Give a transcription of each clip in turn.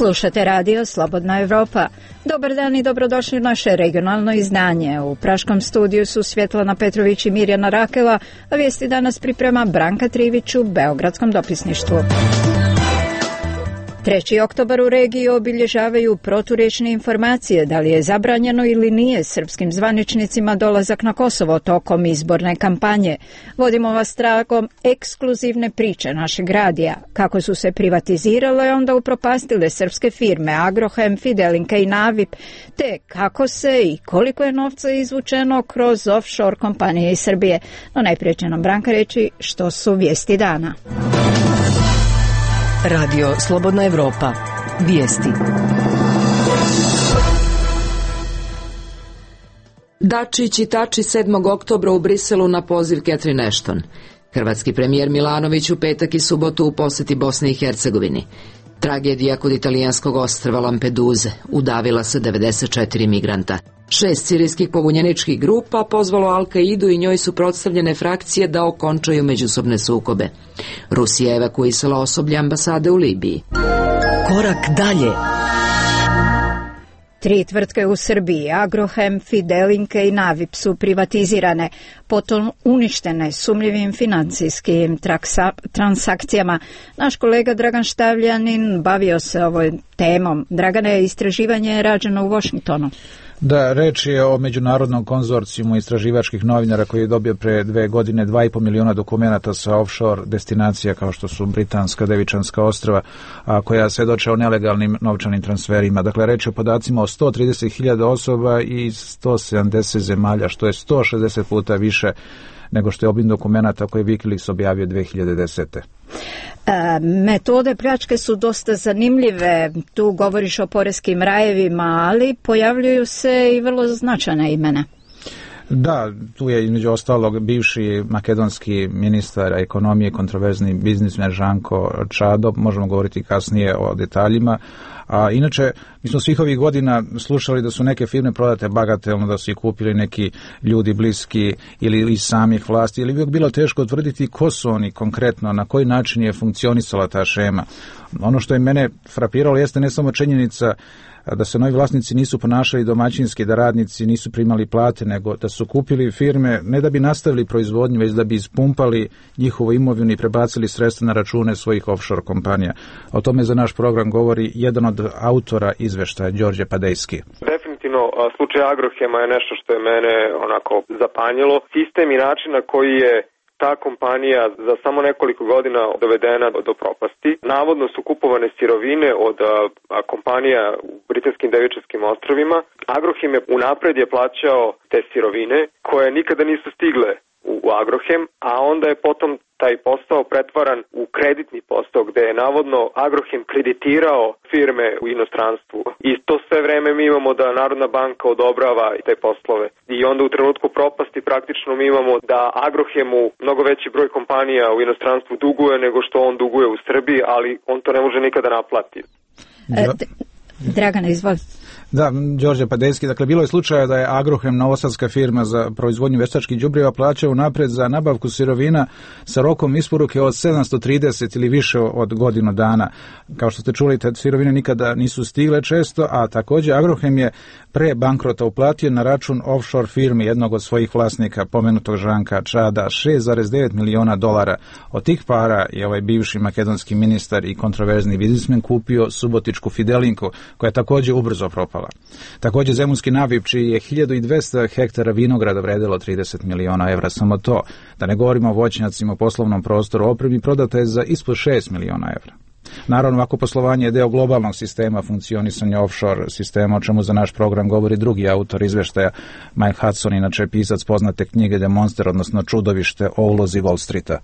Slušate radio Slobodna Evropa. Dobar dan i dobrodošli u naše regionalno izdanje. U praškom studiju su Svjetlana Petrović i Mirjana Rakela, a vijesti danas priprema Branka Trivić u Beogradskom dopisništvu. 3. oktobar u regiji obilježavaju proturječne informacije da li je zabranjeno ili nije srpskim zvaničnicima dolazak na Kosovo tokom izborne kampanje. Vodimo vas tragom ekskluzivne priče našeg radija, kako su se privatizirale i onda upropastile srpske firme Agrohem, Fidelinka i Navip, te kako se i koliko je novca izvučeno kroz offshore kompanije iz Srbije. No najprije će nam Branka reći što su vijesti dana. Radio Slobodna Evropa. Vijesti. Dačić i Tači 7. oktobra u Briselu na poziv Catherine Ashton. Hrvatski premijer Milanović u petak i subotu u posjeti Bosni i Hercegovini. Tragedija kod italijanskog ostrva Lampeduze. Udavila se 94 migranta. 6 sirijskih pobunjeničkih grupa pozvalo Al-Kaidu i njoj su predstavljene frakcije da okončaju međusobne sukobe. Rusija evakuisala osoblje ambasade u Libiji. Korak dalje. 3 tvrtke u Srbiji, Agrohem, Fidelinka i Navip, su privatizirane, potom uništene sumnjivim financijskim transakcijama. Naš kolega Dragan Štavljanin bavio se ovoj temom. Dragane, istraživanje je rađeno u Washingtonu. Da, reč je o međunarodnom konzorcijumu istraživačkih novinara koji je dobio pre 2 godine 2,5 miliona dokumenata sa offshore destinacija kao što su Britanska, Devičanska ostrva, a koja svedoče o nelegalnim novčanim transferima. Dakle, reč je o podacima o 130.000 osoba i 170 zemalja, što je 160 puta više nego što je obim dokumenata koje Wikileaks objavio 2010. Metode pljačke su dosta zanimljive. Tu govoriš o poreskim rajevima, ali pojavljuju se i vrlo značajna imena. Da, tu je između ostalog bivši makedonski ministar ekonomije, kontroverzni biznismen Žanko Čado, možemo govoriti kasnije o detaljima. A inače, mi smo svih ovih godina slušali da su neke firme prodate bagatelno, da su ih kupili neki ljudi bliski ili iz samih vlasti, ili bi bilo teško utvrditi ko su oni konkretno, na koji način je funkcionisala ta šema. Ono što je mene frapiralo jeste ne samo činjenica da se novi vlasnici nisu ponašali domaćinski, da radnici nisu primali plate, nego da su kupili firme ne da bi nastavili proizvodnju, već da bi ispumpali njihovu imovinu i prebacili sredstva na račune svojih offshore kompanija. O tome za naš program govori jedan od autora izveštaja, Đorđe Padejski. Definitivno, slučaj Agrohema je nešto što je mene onako zapanjilo. Sistem i način na koji je ta kompanija za samo nekoliko godina dovedena do propasti. Navodno su kupovane sirovine od kompanija u Britanskim Devičanskim ostrvima. Agrohem je unapred je plaćao te sirovine koje nikada nisu stigle u Agrohem, a onda je potom taj posao pretvaran u kreditni posao gde je navodno Agrohem kreditirao firme u inostranstvu. I to sve vreme mi imamo da Narodna banka odobrava te poslove. I onda u trenutku propasti praktično mi imamo da Agrohemu mnogo veći broj kompanija u inostranstvu duguje nego što on duguje u Srbiji, ali on to ne može nikada naplatiti. Dragana, izvoli. Da, Đorđe Padejski, dakle bilo je slučaja da je Agrohem, novosadska firma za proizvodnju veštačkih đubriva, plaćao napred za nabavku sirovina sa rokom isporuke od 730 ili više od godinu dana. Kao što ste čuli, te sirovine nikada nisu stigle često, a također Agrohem je pre bankrota uplatio na račun offshore firmi jednog od svojih vlasnika, pomenutog Žanka Čada, $6,9 miliona. Od tih para je ovaj bivši makedonski ministar i kontroverzni biznismen kupio subotičku Fidelinku, koja je također ubrzo propala. Također zemunski Navip, čiji je 1200 hektara vinograda vredilo $30 miliona, samo to, da ne govorimo o voćnjacima u poslovnom prostoru, opremi prodata je za ispod $6 miliona. Naravno, ovako poslovanje je deo globalnog sistema funkcionisanja offshore sistema, o čemu za naš program govori drugi autor izveštaja, Mike Hudson, inače pisac poznate knjige The Monster, odnosno Čudovište o ulozi Wall Streeta.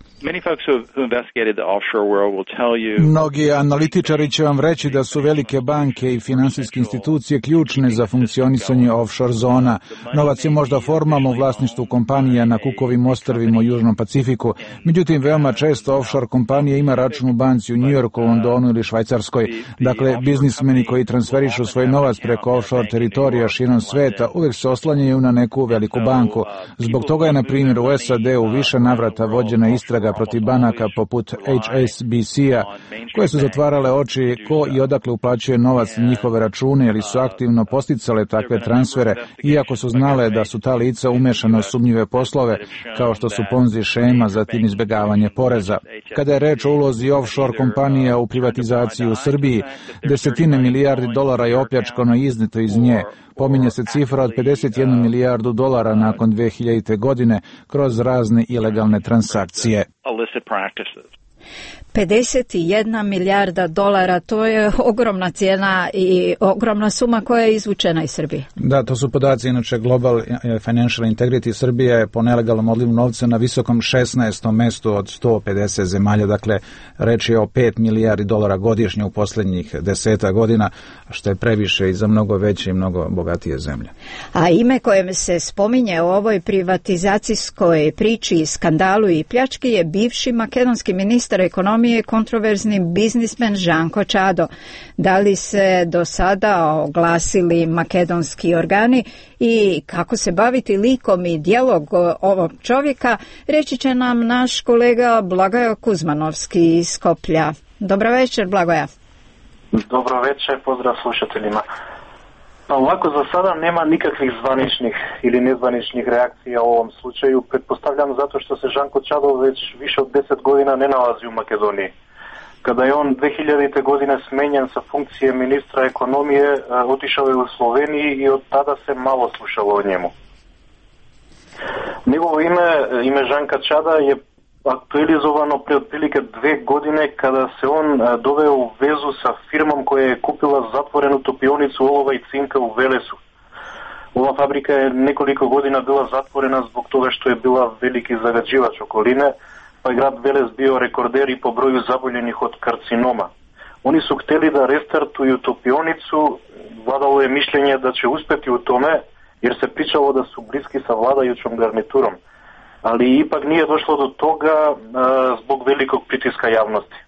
Mnogi analitičari će vam reći da su velike banke i finansijske institucije ključne za funkcionisanje offshore zona. Novac je možda formalno u vlasništvu kompanija na Kukovim ostrvima u Južnom Pacifiku, međutim veoma često offshore kompanija ima račun u banci u New Yorku, Londonu ili Švajcarskoj. Dakle, biznismeni koji transferišu svoj novac preko offshore teritorija širom sveta uvijek se oslanjaju na neku veliku banku. Zbog toga je, na primjer, u SAD-u više navrata vođena istraga protiv banaka poput HSBC-a, koje su zatvarale oči ko i odakle uplaćuje novac na njihove račune ili su aktivno posticale takve transfere, iako su znale da su ta lica umešana u sumnjive poslove, kao što su Ponzi šema, zatim izbjegavanje poreza. Kada je reč o ulozi offshore kompanija u privatizaciji u Srbiji, desetine milijardi dolara je opljačkano i izneto iz nje. Pominje se cifra od 51 milijardu dolara nakon 2000. godine kroz razne ilegalne transakcije. 51 milijarda dolara, to je ogromna cijena i ogromna suma koja je izvučena iz Srbije. Da, to su podaci, inače Global Financial Integrity. Srbija je po nelegalnom odlivu novca na visokom 16. mestu od 150 zemalja, dakle reč je o 5 milijardi dolara godišnje u posljednjih 10 godina, što je previše i za mnogo veće i mnogo bogatije zemlje. A ime koje se spominje u ovoj privatizacijskoj priči, skandalu i pljački je bivši makedonski ministar ekonomije, kontroverzni biznismen Žanko Čado. Da li se do sada oglasili makedonski organi i kako se baviti likom i dijalog ovog čovjeka, reći će nam naš kolega Blagoje Kuzmanovski iz Skoplja. Dobro večer, Blagoja. Dobro večer, pozdrav slušateljima. Ovako, za sada nema nikakvih zvaničnih ili nezvaničnih reakcija u ovom slučaju. Pretpostavljam zato što se Žanko Čado već više od 10 godina ne nalazi u Makedoniji. Kada je on 2000. godine smenjen sa funkcije ministra ekonomije, otišao je u Sloveniji i od tada se malo slušalo o njemu. Njegovo ime Žanka Čada je aktualizovano pre otprilike 2 godine kada se on doveo u vezu sa firmom koja je kupila zatvorenu topionicu olova i cinka u Velesu. Ova fabrika je nekoliko godina bila zatvorena zbog toga što je bila veliki zagađivač okoline, pa je grad Veles bio rekorder i po broju zaboljenih od karcinoma. Oni su htjeli da restartuju topionicu, vladalo je mišljenje da će uspjeti u tome jer se pričalo da su bliski sa vladajućom garniturom. Ali ipak nije došlo do toga zbog velikog pritiska javnosti.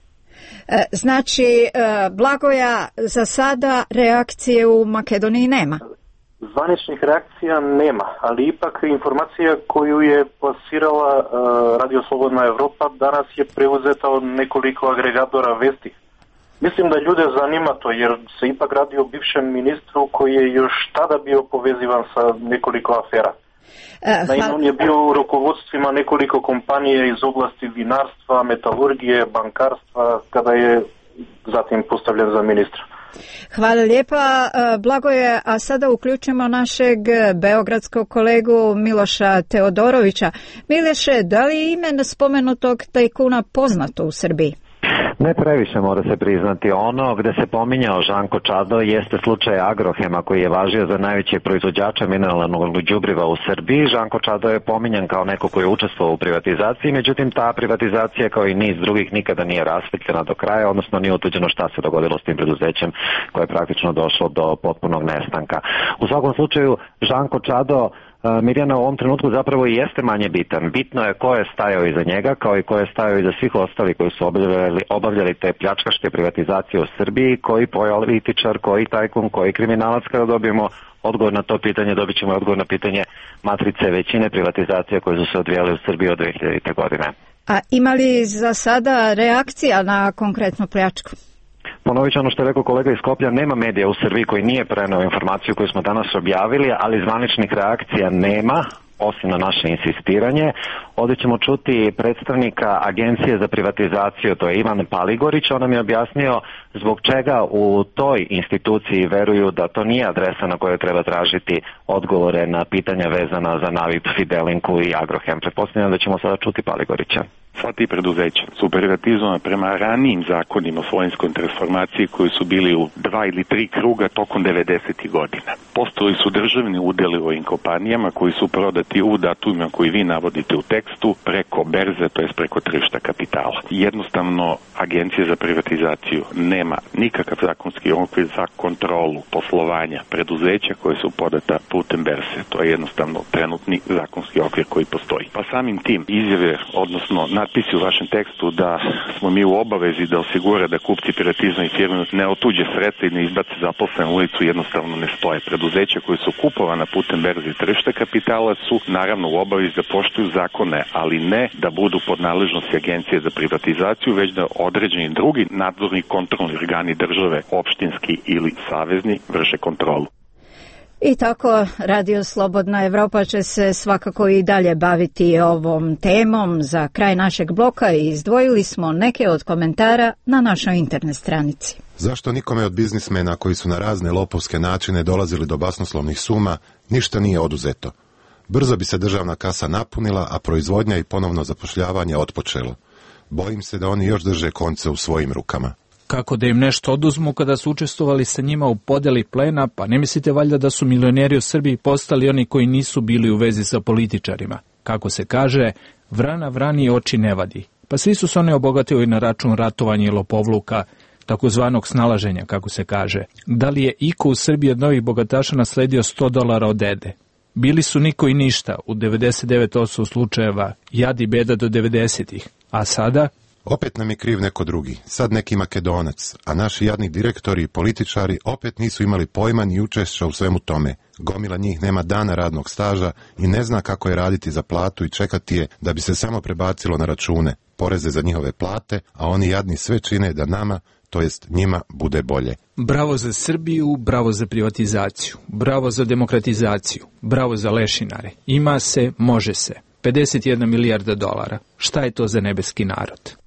Znači, Blagoja, za sada reakcije u Makedoniji nema? Zvaničnih reakcija nema, ali ipak informacija koju je plasirala Radio Slobodna Evropa danas je preuzeta od nekoliko agregatora vesti. Mislim da ljude zanima to jer se ipak radi o bivšem ministru koji je još tada bio povezivan sa nekoliko afera. Naime, on je bio u rukovodstvima nekoliko kompanije iz oblasti vinarstva, metalurgije, bankarstva, kada je zatim postavljen za ministra. Hvala lijepa, Blagoje, a sada uključimo našeg beogradskog kolegu Miloša Teodorovića. Miloše, da li je ime spomenutog tajkuna poznato u Srbiji? Ne previše, mora se priznati. Ono gde se pominjao Žanko Čado jeste slučaj Agrohema koji je važio za najveće proizvođača mineralnog đubriva u Srbiji. Žanko Čado je pominjan kao neko koji je učestvovao u privatizaciji, međutim ta privatizacija kao i niz drugih nikada nije rasvetljena do kraja, odnosno nije utvrđeno šta se dogodilo s tim preduzećem koje je praktično došlo do potpunog nestanka. U svakom slučaju Žanko Čado, Mirjana, u ovom trenutku zapravo i jeste manje bitan. Bitno je ko je stajao iza njega, kao i ko je stajao iza svih ostali koji su obavljali te pljačkaške privatizacije u Srbiji, koji političar, koji tajkun, koji kriminalac. Kada dobijemo odgovor na to pitanje, dobit ćemo odgovor na pitanje matrice većine privatizacija koje su se odvijale u Srbiji od 2000. godine. A ima li za sada reakcija na konkretnu pljačku? Ponovit ću ono što je rekao kolega iz Skoplja, nema medija u Srbiji koji nije preneo informaciju koju smo danas objavili, ali zvaničnih reakcija nema, osim na naše insistiranje. Ovdje ćemo čuti predstavnika Agencije za privatizaciju, to je Ivan Paligorić. On nam je objasnio zbog čega u toj instituciji veruju da to nije adresa na kojoj treba tražiti odgovore na pitanja vezana za Navip, Fidelinku i Agrohem. Pretpostavljam da ćemo sada čuti Paligorića. Sva ti preduzeća su privatizovana prema ranijim zakonima o svojinskoj transformaciji koji su bili u 2 ili 3 kruga tokom 90. godina. Postojali su državni udjeli u ovim kompanijama koji su prodati u datumima koji vi navodite u tekstu preko berze, to jest preko tržišta kapitala. Jednostavno, Agencija za privatizaciju nema nikakav zakonski okvir za kontrolu poslovanja preduzeća koje su podata putem berze. To je jednostavno trenutni zakonski okvir koji postoji. Pa samim tim izjave, odnosno napisi u vašem tekstu da smo mi u obavezi da osigura da kupci piratizma i firme ne otuđe sredstva i ne izbace zaposlene u ulicu jednostavno ne stoje. Preduzeća koje su kupovana putem berze tržišta kapitala su naravno u obavezi da poštuju zakone, ali ne da budu pod nadležnosti Agencije za privatizaciju, već da određeni drugi nadzorni kontrolni organi države, opštinski ili savezni, vrše kontrolu. I tako Radio Slobodna Evropa će se svakako i dalje baviti ovom temom. Za kraj našeg bloka izdvojili smo neke od komentara na našoj internet stranici. Zašto nikome od biznismena koji su na razne lopovske načine dolazili do basnoslovnih suma ništa nije oduzeto? Brzo bi se državna kasa napunila, a proizvodnja i ponovno zapošljavanje otpočelo. Bojim se da oni još drže konce u svojim rukama. Kako da im nešto oduzmu kada su učestvovali sa njima u podeli plena, pa ne mislite valjda da su milioneri u Srbiji postali oni koji nisu bili u vezi sa političarima? Kako se kaže, vrana vrani oči ne vadi. Pa svi su se oni obogatili na račun ratovanja i lopovluka, takozvanog snalaženja, kako se kaže. Da li je iko u Srbiji od novih bogataša nasledio $100 od dede? Bili su niko i ništa, u 99% slučajeva, jad i beda do 90-ih. A sada? Opet nam je kriv neko drugi, sad neki Makedonac, a naši jadni direktori i političari opet nisu imali pojma ni učešća u svemu tome. Gomila njih nema dana radnog staža i ne zna kako je raditi za platu i čekati je da bi se samo prebacilo na račune, poreze za njihove plate, a oni jadni sve čine da nama, to jest njima, bude bolje. Bravo za Srbiju, bravo za privatizaciju, bravo za demokratizaciju, bravo za lešinare. Ima se, može se. 51 milijarda dolara. Šta je to za nebeski narod?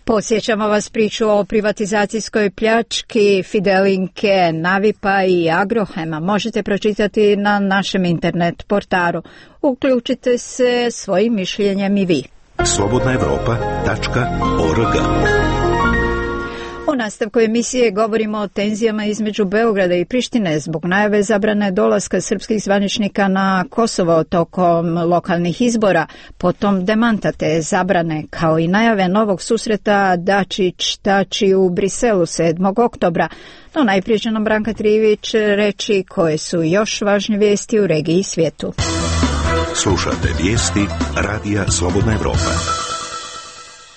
Posjećamo vas priču o privatizacijskoj pljački Fidelinke, Navipa i Agrohema. Možete pročitati na našem internet portalu. Uključite se svojim mišljenjem i vi. slobodnaevropa.org. U nastavku emisije govorimo o tenzijama između Beograda i Prištine zbog najave zabrane dolaska srpskih zvaničnika na Kosovo tokom lokalnih izbora, potom demanta te zabrane, kao i najave novog susreta Dačić-Tači u Briselu 7. oktobra. No najprije će nam Branka Trivić reći koje su još važne vijesti u regiji i svijetu. Slušate vijesti Radija Slobodna Evropa.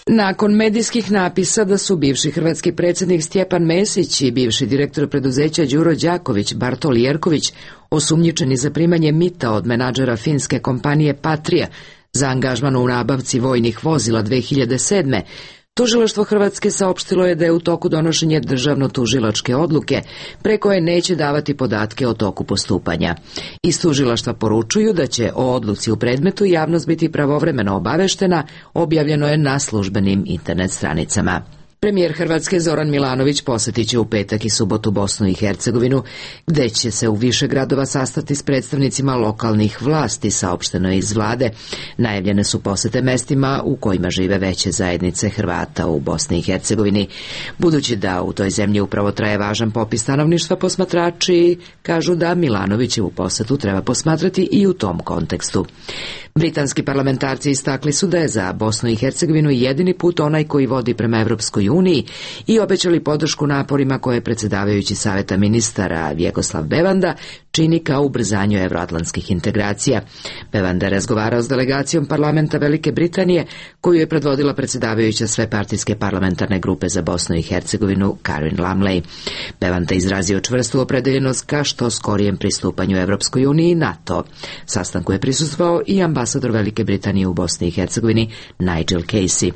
Nakon medijskih napisa da su bivši hrvatski predsjednik Stjepan Mesić i bivši direktor preduzeća Đuro Đaković Bartol Jerković osumnjičeni za primanje mita od menadžera finske kompanije Patria za angažman u nabavci vojnih vozila 2007. Tužilaštvo Hrvatske saopštilo je da je u toku donošenje državno-tužilačke odluke pre koje neće davati podatke o toku postupanja. Iz tužilaštva poručuju da će o odluci u predmetu javnost biti pravovremeno obaveštena, objavljeno je na službenim internet stranicama. Premijer Hrvatske Zoran Milanović posjetit će u petak i subotu Bosnu i Hercegovinu, gde će se u više gradova sastati s predstavnicima lokalnih vlasti, saopšteno je iz vlade. Najavljene su posjete mestima u kojima žive veće zajednice Hrvata u Bosni i Hercegovini. Budući da u toj zemlji upravo traje važan popis stanovništva, posmatrači kažu da Milanovićevu posjetu treba posmatrati i u tom kontekstu. Britanski parlamentarci istakli su da je za Bosnu i Hercegovinu jedini put onaj koji vodi prema Evropskoj uniji i obećali podršku naporima koje predsjedavajući Saveta ministara Vjekoslav Bevanda čini kao ubrzanju evroatlantskih integracija. Bevanda je razgovarao s delegacijom parlamenta Velike Britanije, koju je predvodila predsjedavajuća svepartijske parlamentarne grupe za Bosnu i Hercegovinu Karin Lamley. Bevanda izrazio čvrstu opredeljenost ka što skorijem pristupanju Evropskoj uniji i NATO. Sastanku je prisustvovao i ambasador Velike Britanije u Bosni i Hercegovini Nigel Casey.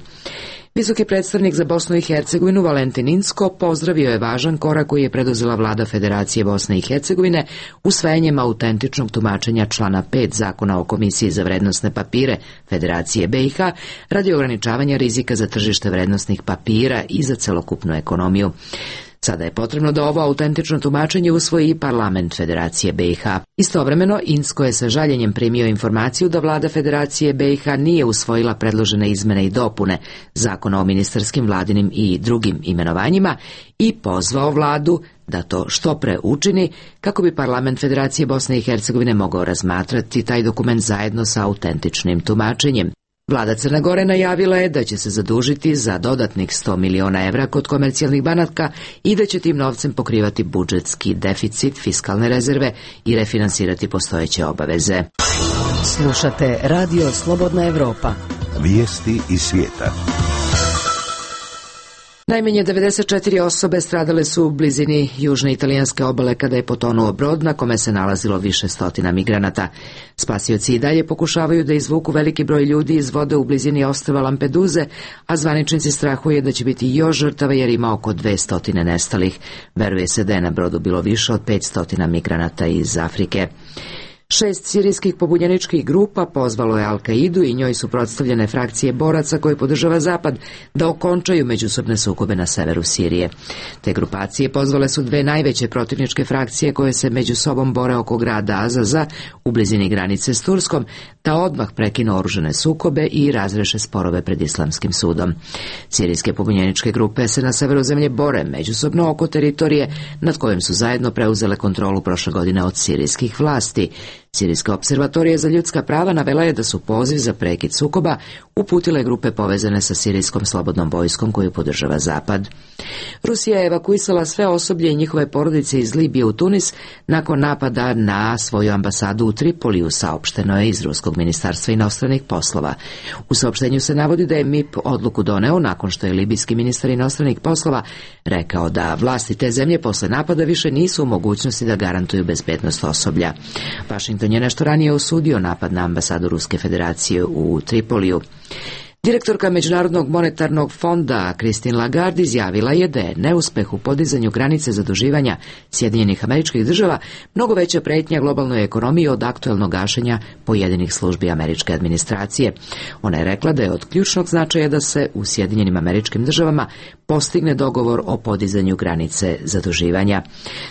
Visoki predstavnik za Bosnu i Hercegovinu Valentin Inzko pozdravio je važan korak koji je preduzela vlada Federacije Bosne i Hercegovine usvajanjem autentičnog tumačenja člana 5 Zakona o Komisiji za vrednosne papire Federacije BiH radi ograničavanja rizika za tržište vrednosnih papira i za celokupnu ekonomiju. Sada je potrebno da ovo autentično tumačenje usvoji i parlament Federacije BiH. Istovremeno, Inzko je sa žaljenjem primio informaciju da vlada Federacije BiH nije usvojila predložene izmene i dopune Zakona o ministarskim, vladinim i drugim imenovanjima i pozvao vladu da to što pre učini kako bi parlament Federacije Bosne i Hercegovine mogao razmatrati taj dokument zajedno sa autentičnim tumačenjem. Vlada Crne Gore najavila je da će se zadužiti za dodatnih 100 miliona evra kod komercijalnih banaka i da će tim novcem pokrivati budžetski deficit, fiskalne rezerve i refinansirati postojeće obaveze. Slušate Radio Slobodna Evropa, Vijesti iz svijeta. Najmanje 94 osobe stradale su u blizini južne italijanske obale kada je potonuo brod na kome se nalazilo više stotina migranata. Spasioci i dalje pokušavaju da izvuku veliki broj ljudi iz vode u blizini ostrva Lampeduze, a zvaničnici strahuje da će biti još žrtava jer ima oko 200 nestalih. Veruje se da je na brodu bilo više od 500 migranata iz Afrike. 6 sirijskih pobunjeničkih grupa pozvalo je Al-Kaidu i njoj su predstavljene frakcije boraca koje podržava Zapad da okončaju međusobne sukobe na severu Sirije. Te grupacije pozvale su dve najveće protivničke frakcije koje se među sobom bore oko grada Azaza u blizini granice s Turskom, da odmah prekinu oružane sukobe i razreše sporove pred Islamskim sudom. Sirijske pobunjeničke grupe se na severu zemlje bore međusobno oko teritorije nad kojom su zajedno preuzele kontrolu prošle godine od sirijskih vlasti. Sirijska observatorija za ljudska prava navela je da su poziv za prekid sukoba uputile grupe povezane sa sirijskom slobodnom vojskom koju podržava Zapad. Rusija je evakuisala sve osoblje i njihove porodice iz Libije u Tunis nakon napada na svoju ambasadu u Tripoliju, saopšteno je iz Ruskog ministarstva inostranih poslova. U saopštenju se navodi da je MIP odluku doneo nakon što je libijski ministar inostranih poslova rekao da vlasti te zemlje posle napada više nisu u mogućnosti da garantuju bezbednost osoblja. Washington je nešto ranije osudio napad na ambasadu Ruske federacije u Tripoliju. Direktorka Međunarodnog monetarnog fonda Christine Lagarde izjavila je da je neuspeh u podizanju granice zaduživanja Sjedinjenih Američkih Država mnogo veća pretnja globalnoj ekonomiji od aktuelnog gašenja pojedinih službi američke administracije. Ona je rekla da je od ključnog značaja da se u Sjedinjenim Američkim Državama postigne dogovor o podizanju granice zaduživanja.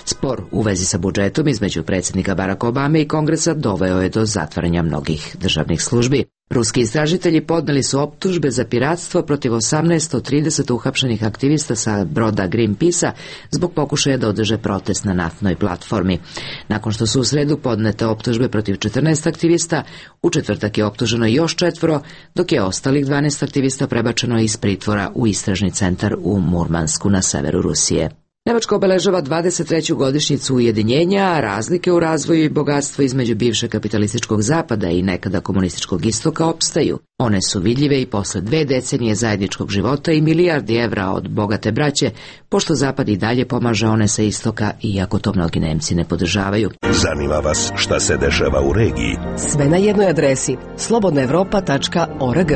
Spor u vezi sa budžetom između predsjednika Baracka Obame i Kongresa doveo je do zatvaranja mnogih državnih službi. Ruski istražitelji podneli su optužbe za piratstvo protiv 18 od 30 uhapšenih aktivista sa broda Greenpeace-a zbog pokušaja da održe protest na naftnoj platformi. Nakon što su u sredu podnete optužbe protiv 14 aktivista, u četvrtak je optuženo još 4, dok je ostalih 12 aktivista prebačeno iz pritvora u istražni centar u Murmansku na severu Rusije. Nemačka obeležava 23. godišnjicu ujedinjenja, a razlike u razvoju i bogatstvu između bivšeg kapitalističkog zapada i nekada komunističkog istoka opstaju. One su vidljive i posle 2 decenije zajedničkog života i milijardi evra od bogate braće, pošto zapad i dalje pomaže one sa istoka, iako to mnogi Nemci ne podržavaju. Zanima vas šta se dešava u regiji? Sve na jednoj adresi slobodnaevropa.org.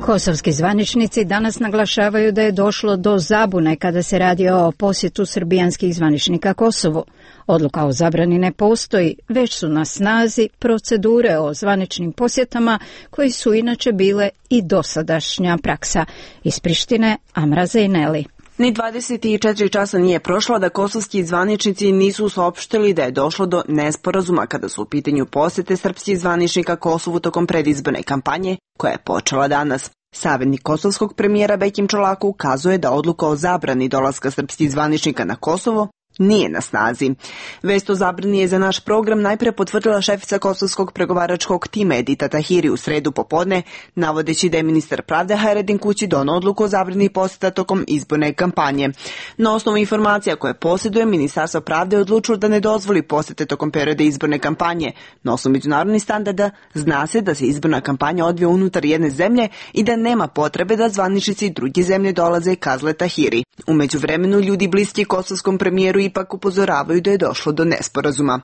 Kosovski zvaničnici danas naglašavaju da je došlo do zabune kada se radi o posjetu srbijanskih zvaničnika Kosovu. Odluka o zabrani ne postoji, već su na snazi procedure o zvaničnim posjetama koji su inače bile i dosadašnja praksa. Iz Prištine, Amra Zejneli. Ni 24 časa nije prošlo da kosovski zvaničnici nisu saopštili da je došlo do nesporazuma kada su u pitanju posjete srpskih zvaničnika Kosovu tokom predizborne kampanje koja je počela danas. Savjetnik kosovskog premijera Bekim Čolaku ukazuje da odluka o zabrani dolaska srpskih zvaničnika na Kosovo nije na snazi. Vest o zabrani je za naš program najpre potvrdila šefica kosovskog pregovaračkog tima Edita Tahiri u sredu popodne, navodeći da je ministar pravde Hajredin Kući doneo odluku o zabrani posjeta tokom izborne kampanje. Na osnovu informacija koje posjeduje, Ministarstvo pravde je odlučilo da ne dozvoli posjete tokom perioda izborne kampanje. Na osnovu međunarodnih standarda zna se da se izborna kampanja odvija unutar jedne zemlje i da nema potrebe da zvaničnici druge zemlje dolaze i kazle Tahiri. U međuvremenu ljudi bliski kosovskom premijeru ipak upozoravaju da je došlo do nesporazuma.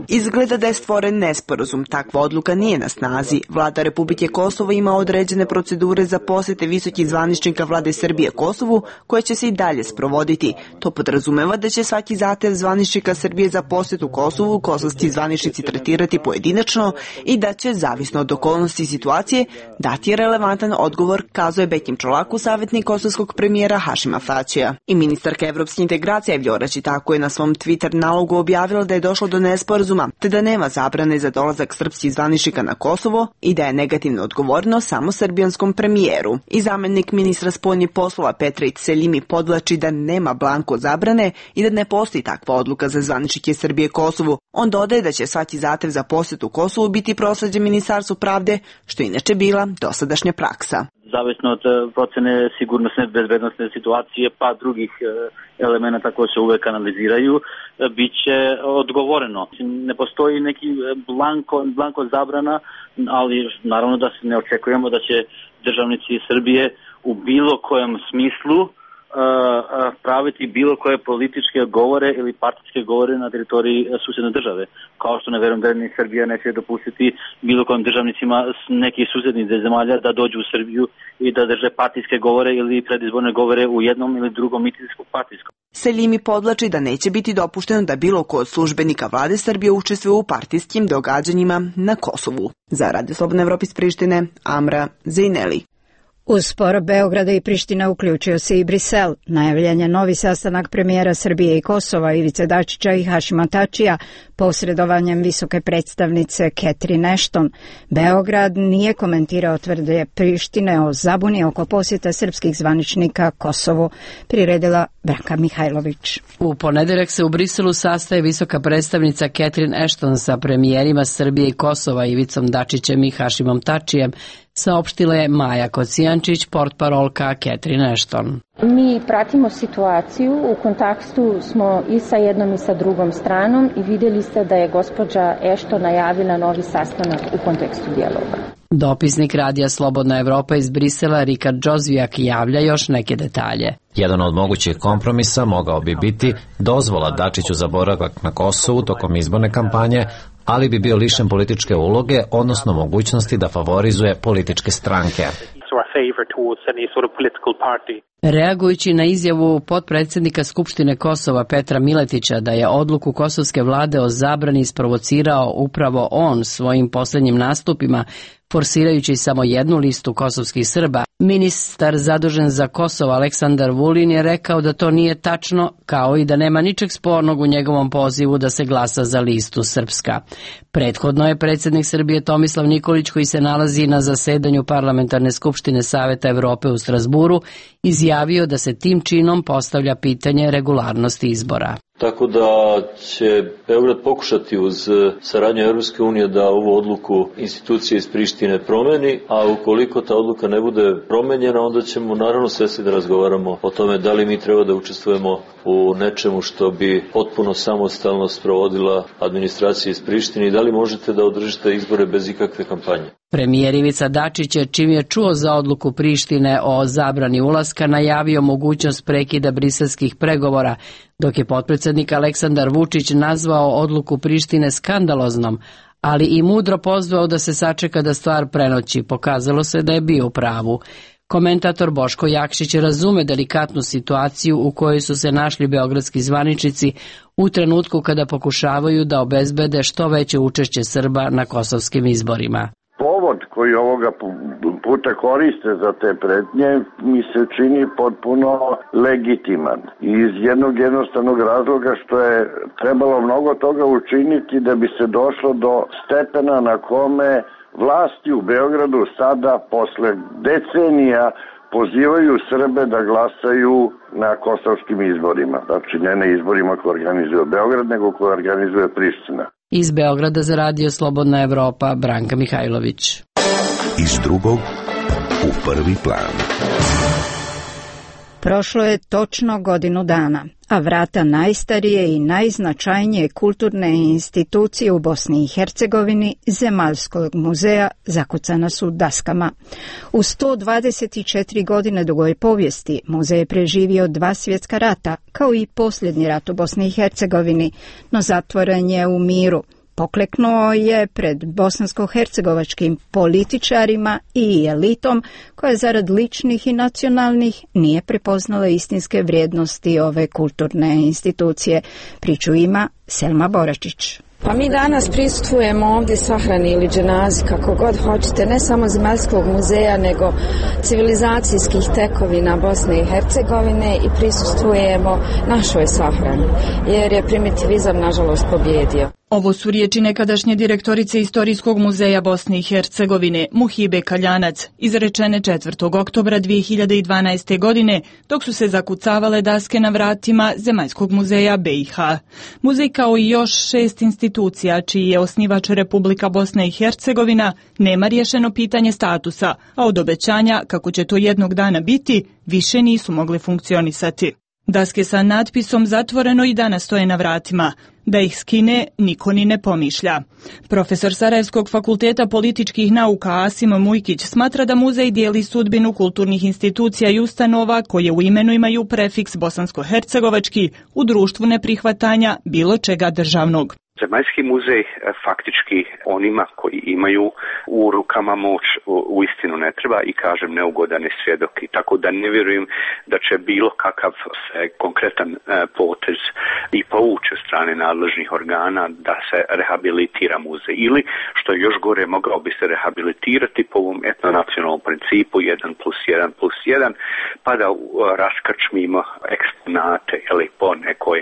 Izgleda da je stvoren nesporazum. Takva odluka nije na snazi. Vlada Republike Kosovo ima određene procedure za posjete visokih zvaničnika vlade Srbije Kosovu, koje će se i dalje sprovoditi. To podrazumeva da će svaki zahtev zvaničnika Srbije za posjetu Kosovu kosovski zvaničnici tretirati pojedinačno i da će, zavisno od okolnosti situacije, dati relevantan odgovor, kazuje Bekim Čolaku, savjetnik kosovskog premijera Hašima Tačija. I ministarka evropske integracije Vljora Čitako je na svom Twitter nalogu objavila da je došlo do nesporazuma, te da nema zabrane za dolazak srpskih zvaničnika na Kosovo i da je negativno odgovorno samo srbijanskom premijeru. I zamjenik ministra spoljnih poslova Petrić Seljimi podvlači da nema blanko zabrane i da ne postoji takva odluka za zvaničnike Srbije Kosovu, On dodaje da će svaki zahtev za posjetu Kosovu biti prosleđen Ministarstvu pravde, što je inače bila dosadašnja praksa. Zavisno od procene sigurnosne bezbednosne situacije pa drugih elemenata koji se uvek analiziraju, bit će odgovoreno. Ne postoji neki blanko zabrana, ali naravno da se ne očekujemo da će državnici Srbije u bilo kojem smislu praviti bilo koje političke govore ili partijske govore na teritoriji susedne države. Kao što ne verujem da ni Srbija neće dopustiti bilo kojim državnicima nekih susednih zemalja da dođu u Srbiju i da drže partijske govore ili predizborne govore u jednom ili drugom mitinjskom partijskom. Selimi podlači da neće biti dopušteno da bilo ko od službenika vlade Srbije učestvuje u partijskim događanjima na Kosovu. Za Radio Slobodne Evrope iz Prištine, Amra Zejneli. Uz spor Beograda i Prištine uključio se i Brisel. Najavljen je novi sastanak premijera Srbije i Kosova Ivice Dačića i Hašima Tačija posredovanjem visoke predstavnice Catherine Ashton. Beograd nije komentirao tvrdnje Prištine o zabuni oko posjeta srpskih zvaničnika Kosovu, priredila Branka Mihajlović. U ponedeljak se u Briselu sastaje visoka predstavnica Catherine Ashton sa premijerima Srbije i Kosova Ivicom Dačićem i Hašimom Tačijem, saopštila je Maja Kocijančić, portparolka Catherine Ashton. Mi pratimo situaciju, u kontaktu smo i sa jednom i sa drugom stranom i vidjeli ste da je gospođa Ashton najavila novi sastanak u kontekstu dijaloga. Dopisnik Radija Slobodna Evropa iz Brisela Rikard Džozvijak javlja još neke detalje. Jedan od mogućih kompromisa mogao bi biti dozvola Dačiću za boravak na Kosovu tokom izborne kampanje, ali bi bio lišen političke uloge, odnosno mogućnosti da favorizuje političke stranke. Reagujući na izjavu potpredsjednika Skupštine Kosova Petra Miletića da je odluku kosovske vlade o zabrani isprovocirao upravo on svojim posljednjim nastupima, forsirajući samo jednu listu kosovskih Srba, ministar zadužen za Kosovo Aleksandar Vulin je rekao da to nije tačno, kao i da nema ničeg spornog u njegovom pozivu da se glasa za listu Srpska. Prethodno je predsjednik Srbije Tomislav Nikolić, koji se nalazi na zasedanju Parlamentarne skupštine Saveta Evrope u Strasburu, izjavio da se tim činom postavlja pitanje regularnosti izbora. Tako da će Beograd pokušati uz saradnju Evropske unije da ovu odluku institucije iz Prištine promeni, a ukoliko ta odluka ne bude promenjena, onda ćemo naravno svesni da razgovaramo o tome da li mi treba da učestvujemo u nečemu što bi potpuno samostalno sprovodila administracija iz Prištine i da li možete da održite izbore bez ikakve kampanje. Premijer Ivica Dačić je, čim je čuo za odluku Prištine o zabrani ulaska, najavio mogućnost prekida briselskih pregovora, dok je potpredsjednik Aleksandar Vučić nazvao odluku Prištine skandaloznom, ali i mudro pozvao da se sačeka da stvar prenoći. Pokazalo se da je bio u pravu. Komentator Boško Jakšić razume delikatnu situaciju u kojoj su se našli beogradski zvaničnici u trenutku kada pokušavaju da obezbede što veće učešće Srba na kosovskim izborima. Povod koji ovoga puta koriste za te pretnje mi se čini potpuno legitiman. Iz jednog jednostavnog razloga što je trebalo mnogo toga učiniti da bi se došlo do stepena na kome vlasti u Beogradu sada posle decenija pozivaju Srbe da glasaju na kosovskim izborima. Znači ne na izborima koje organizuje Beograd, nego koje organizuje Priština. Iz Beograda za Radio Slobodna Evropa, Branka Mihajlović. Iz drugog u prvi plan. Prošlo je točno godinu dana, a vrata najstarije i najznačajnije kulturne institucije u Bosni i Hercegovini, Zemaljskog muzeja, zakucana su daskama. U 124 godine dugoj povijesti muzej je preživio 2 svjetska rata, kao i posljednji rat u Bosni i Hercegovini, no zatvoren je u miru. Pokleknuo je pred bosansko-hercegovačkim političarima i elitom koja zarad ličnih i nacionalnih nije prepoznala istinske vrijednosti ove kulturne institucije. Priču ima Selma Boračić. Pa mi danas prisustvujemo ovdje sahrani ili dženazi, kako god hoćete, ne samo Zemaljskog muzeja, nego civilizacijskih tekovina Bosne i Hercegovine i prisustvujemo našoj sahrani, jer je primitivizam nažalost pobjedio. Ovo su riječi nekadašnje direktorice Istorijskog muzeja Bosne i Hercegovine, Muhibe Kaljanac, izrečene 4. oktobra 2012. godine, dok su se zakucavale daske na vratima Zemaljskog muzeja BiH. Muzej, kao i još 6 institucija, čiji je osnivač Republika Bosna i Hercegovina, nema riješeno pitanje statusa, a od obećanja, kako će to jednog dana biti, više nisu mogli funkcionisati. Daske sa natpisom zatvoreno i danas stoje na vratima. Da ih skine, niko ni ne pomišlja. Profesor Sarajevskog fakulteta političkih nauka Asim Mujkić smatra da muzej dijeli sudbinu kulturnih institucija i ustanova koje u imenu imaju prefiks bosansko-hercegovački u društvu neprihvatanja bilo čega državnog. Zemaljski muzej faktički onima koji imaju u rukama moć uistinu ne treba i kažem neugodan je svjedok, i tako da ne vjerujem da će bilo kakav konkretan potez i povući od strane nadležnih organa da se rehabilitira muzej, ili što je još gore, mogao bi se rehabilitirati po ovom etnonacionalnom principu 1+1+1, pa da raskrčmimo eksponate ili po nekoj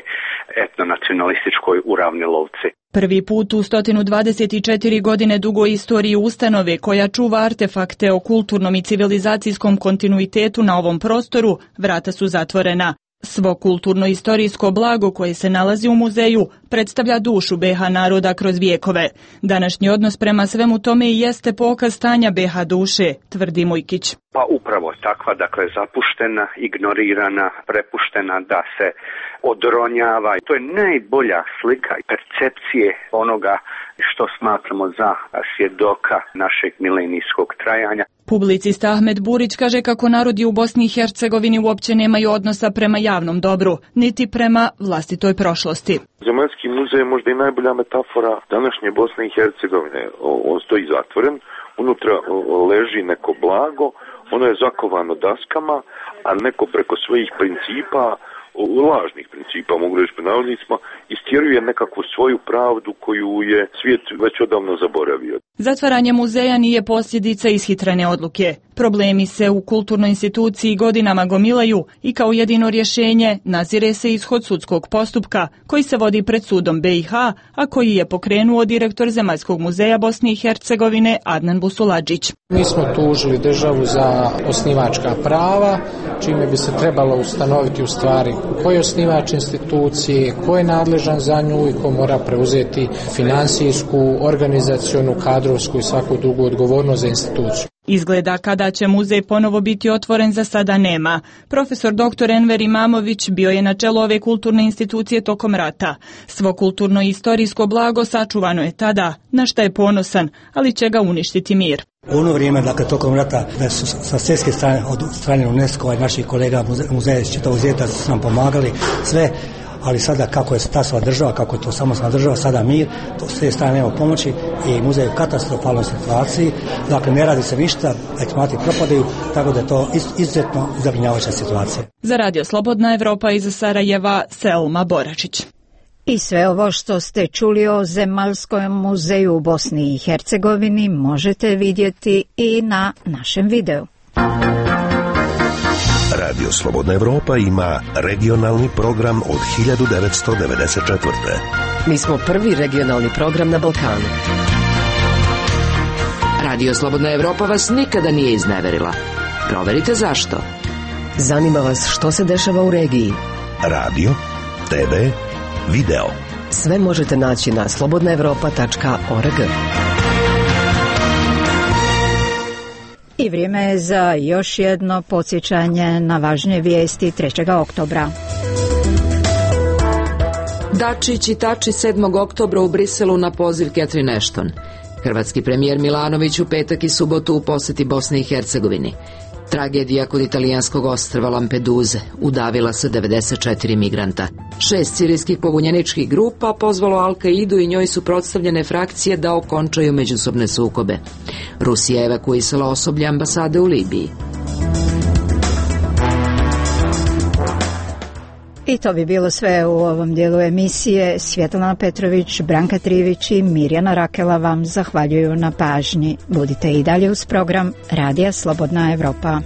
etnonacionalističkoj uravnilovci. Prvi put u 124 godine dugoj istoriji ustanove koja čuva artefakte o kulturnom i civilizacijskom kontinuitetu na ovom prostoru, vrata su zatvorena. Svo kulturno-istorijsko blago koje se nalazi u muzeju predstavlja dušu BiH naroda kroz vijekove. Današnji odnos prema svemu tome i jeste pokaz stanja BiH duše, tvrdi Mujkić. Pa upravo takva, dakle zapuštena, ignorirana, prepuštena da se odronjava. To je najbolja slika percepcije onoga što smatramo za svjedoka našeg milenijskog trajanja. Publicista Ahmed Burić kaže kako narodi u Bosni i Hercegovini uopće nemaju odnosa prema javnom dobru, niti prema vlastitoj prošlosti. Zemaljski muzej je možda i najbolja metafora današnje Bosne i Hercegovine. On stoji zatvoren, unutra leži neko blago, ono je zakovano daskama, a neko preko svojih principa, lažnih principa, mogu reći po navodnicima, istjeruje nekakvu svoju pravdu koju je svijet već odavno zaboravio. Zatvaranje muzeja nije posljedica ishitrene odluke. Problemi se u kulturnoj instituciji godinama gomilaju i kao jedino rješenje nazire se ishod sudskog postupka koji se vodi pred sudom BiH, a koji je pokrenuo direktor Zemaljskog muzeja Bosne i Hercegovine Adnan Busuladžić. Mi smo tužili državu za osnivačka prava, čime bi se trebalo ustanoviti u stvari ko je osnivač institucije, ko je nadležan za nju i ko mora preuzeti finansijsku, organizacionu, kadrovsku i svaku drugu odgovornost za instituciju. Izgleda kada će muzej ponovo biti otvoren za sada nema. Profesor dr. Enver Imamović bio je na čelu ove kulturne institucije tokom rata. Svo kulturno i istorijsko blago sačuvano je tada, na šta je ponosan, ali će ga uništiti mir. U ono vrijeme, dakle, tokom rata, da su sa svjetske strane, od strane UNESCO-a i naših kolega muzeja iz čitavog svijeta su nam pomagali sve, ali sada kako je stasala država, kako je to samostalna država, sada mir, to s te strane nema pomoći i muzej je u katastrofalnoj situaciji, dakle ne radi se ništa, eksponati propadaju, tako da je to izuzetno zabrinjavajuća situacija. Za Radio Slobodna Evropa iz Sarajeva, Selma Boračić. I sve ovo što ste čuli o Zemaljskom muzeju u Bosni i Hercegovini možete vidjeti i na našem videu. Radio Slobodna Evropa ima regionalni program od 1994. Mi smo prvi regionalni program na Balkanu. Radio Slobodna Evropa vas nikada nije izneverila. Proverite zašto. Zanima vas što se dešava u regiji. Radio, TV, video. Sve možete naći na slobodnaevropa.org. I vrijeme je za još jedno podsjećanje na važnije vijesti 3. oktobra. Dačić i Tači 7. oktobra u Briselu na poziv Catherine Ashton. Hrvatski premijer Milanović u petak i subotu u posjeti Bosni i Hercegovini. Tragedija kod italijanskog ostrva Lampeduze, udavila se 94 migranta. 6 sirijskih pobunjeničkih grupa pozvalo Al-Kaidu i njoj su suprotstavljene frakcije da okončaju međusobne sukobe. Rusija je evakuisala osoblje ambasade u Libiji. I to bi bilo sve u ovom dijelu emisije. Svjetlana Petrović, Branka Trivić i Mirjana Rakela vam zahvaljuju na pažnji. Budite i dalje uz program Radija Slobodna Evropa.